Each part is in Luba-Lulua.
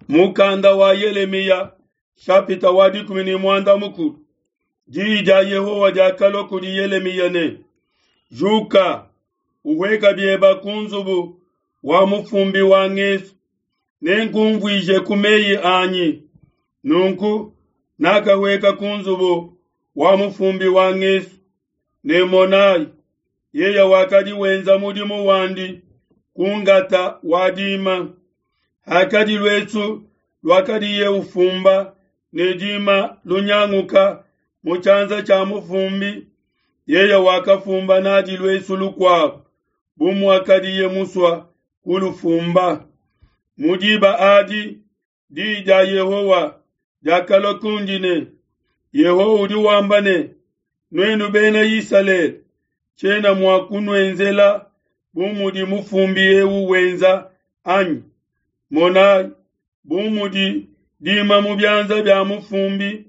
Mukanda wa Yelemiya shapita wa 16. Diyi dia Yehowa diakalua kudi Yelemiya ne, Juka, uhueka bieba ku nzubu wa mufumbi wa ngesu, nenkumvuije ku meyi anyi. Nunku nakahueka ku nzubu wa mufumbi wa ngesu, ne monayi, yeye wakadi wenza mudimu wandi ku ngata wa dima. Hakadi luesu luakadiye ufumba ne dima lunyanguka mu tshianza tshia mufumbi, yeye wakafumba nadi luesu lukuabo bu muakadiye musua kulufumba. Mu diba adi diyi dia Yehowa diakalua kundi ne, Yehowa udi wamba ne, Nuenu bena Isalele, tshiena mua kunuenzela bu mudi mufumbi eu wenza anyi? Monayi, bu mudi dima mu bianza bia mufumbi,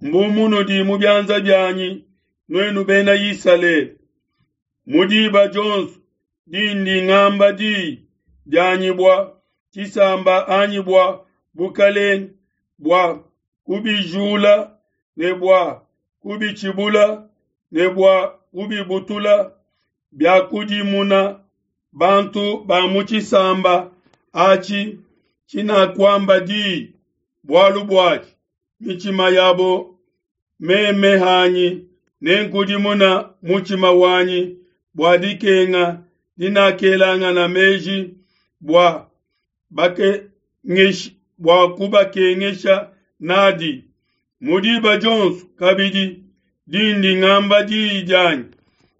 mbu munudi mu bianza bianyi, nuenu bena Isalele. Mu diba dionso dindi ngamba diyi dianyi bua tshisamba anyi bua bukalenge, bua kubijula ne bua kubitshibula ne bua kubibutula, biakudimuna bantu ba mu tshisamba atshi tshinakuamba diyi bualu buatshi mitshima yabo, meme hanyi nenkudimuna mutshima wanyi bua dikenga dinakelangana meji bua bua kubakengesha nadi. Mu diba dionso kabidi dindi ngamba diyi dianyi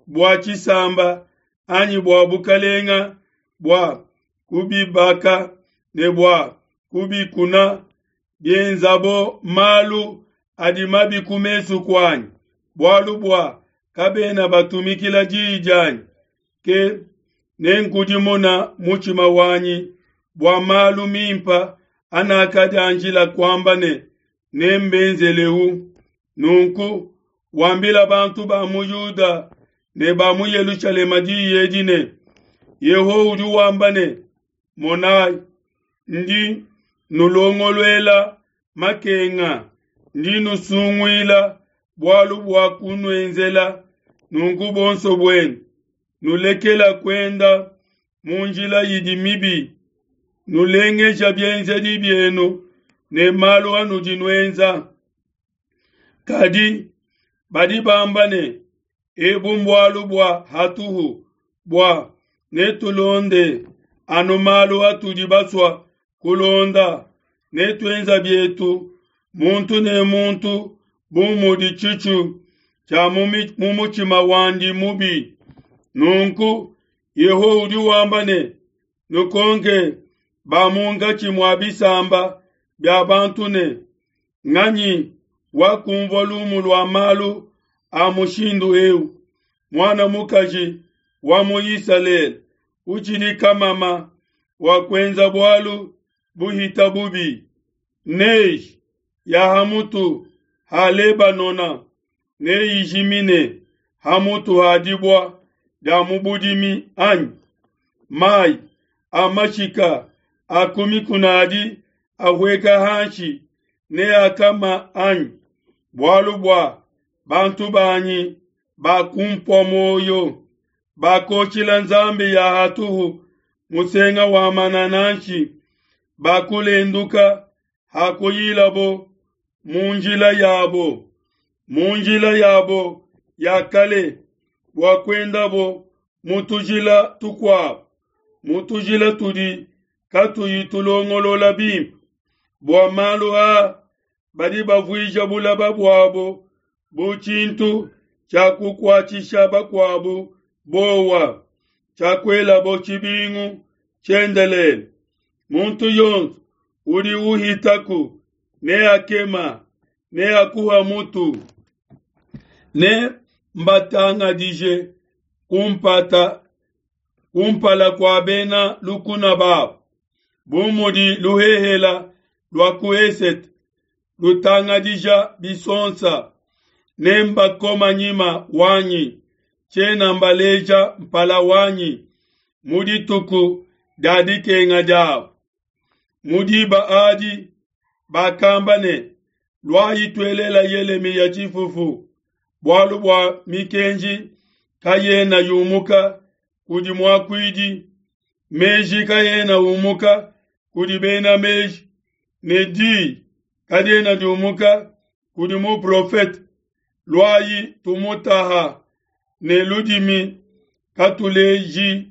bua tshisamba anyi bua bukalenga, bua kubibaka ne bua kubikuna, bienzabo malu adi mabi ku mesu kuanyi, bualu bua kabena batumikila diyi dianyi, ke nenkudimuna mutshima wanyi bua malu mimpa anakadianjila kuamba ne nembenzeleu. Nunku wambila bantu ba mu Yuda ne ba mu Yelushalema diyi edi ne, Yehowa udi wamba ne, Monayi, ndi nulongoluela makenga, ndi nusunguila bualu bua kunuenzela. Nunku bonso buenu nulekela kuenda mu njila idi mibi, nulengeja bienzedi bienu ne malu anudi nuenza. Kadi badi bamba ne, ebu mbualu bua hatuhu, bua netulonde anu malu atudi basua kulonda, netuenza bietu muntu ne muntu bu mudi tshitshu tshia mu mutshima wandi mubi. Nunku Yehowa udi wamba ne, nukonke ba munkatshi mua bisamba bia bantu ne, nganyi wakumvua lumu lua malu a mushindu eu? Muana mukaji wa mu Isalele utshidi kamama wa kuenza bualu buhita bubi. Neige ya hamutu ha Lebanona neyijimine hamutu ha dibua dia mu budimi anyi? Mai a mashika a ku mikuna adi ahueka hanshi neakama anyi? Bualu bua bantu banyi bakumpua muoyo, bakotshila nzambi ya hatuhu musenga wa manananshi, bakulenduka hakuyilabo mu njila yabo, mu njila yabo ya kale, bua kuendabo mu tujila tukuabo, mu tujila tudi katuyi tulongolola bimpe. Bua malu aa badi bavuija bulaba buabo bu tshintu tshia kukuatshisha bakuabu bowa, tshia kuelabo tshibingu tshiendelele. Muntu yonso udi uhitaku neakema, neakuha mutu, ne mbatangadije kumpata kumpala kua bena lukuna babo, bu mudi luhehela lua ku esete lutangadija bisonsa. Nembakoma nyima wanyi, tshiena mbaleja mpala wanyi mu dituku dia dikenga diabo. Mu diba adi bakamba ne, Luayi tuelela Yelemiya tshifufu, bualu bua mikenji kayena yumuka kudi muakuidi, meji kaena umuka kudi bena meji, ne diyi kadiena diumuka kudi muprofete. Luayi tumutaha ne ludimi, katuleji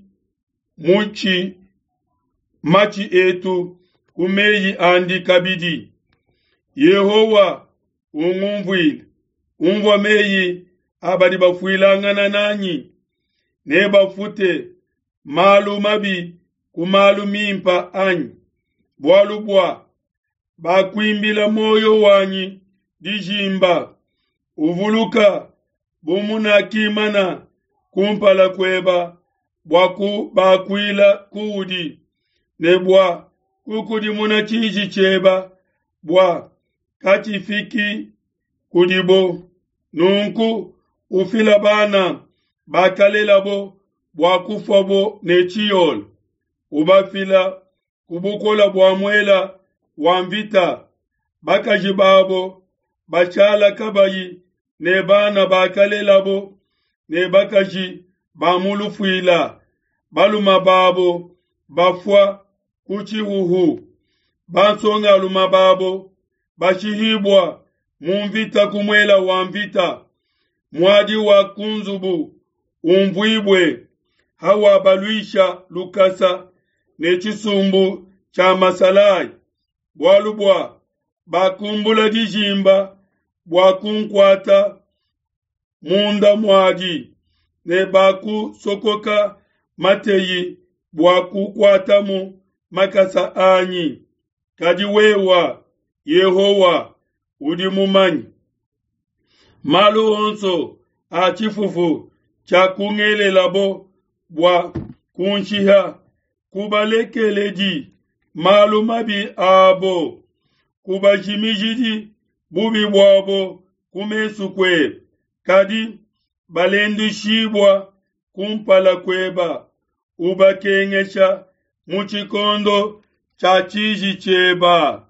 mutshi matshi etu ku meyi andi kabidi. Yehowa, ungumvuile, unvua meyi a badi bafuilangana nanyi. Nebafute malu mabi ku malu mimpe anyi? Bualu bua bakuimbila muoyo wanyi dijimba. Uvuluka bu munakimana kumpala kueba bua kubakuila kuudi, ne bua kukudimuna tshiji tshieba bua katshifiki kudibo. Nunku ufila bana bakalelabo bua kufuabo ne tshiole, ubafila ku bukole bua muela wa mvita, bakaji babo bashala kabayi ne bana bakalelabo ne bakaji ba mu lufuila, balume babo bafua ku tshihuhu, bansongalume babo bashihibua mu mvita ku muela wa mvita. Muadi wa ku nzubu umvuibue hawabaluisha lukasa ne tshisumbu tshia masalayi, bualu bua bakumbula dijimba bua kunkuata munda muadi, ne bakusokoka mateyi bua kukuatamu makasa anyi. Kadi wewa, Yehowa, udi mumanye malu onso a tshifufu tshiakungelelabo bua kunshiha. Kubalekeledi malu mabi abo, kubajimijidi bubi buabo ku mesu kuebe, kadi balenduishibua kumpala kueba, ubakengesha mu tshikondo tshia tshiji tshieba.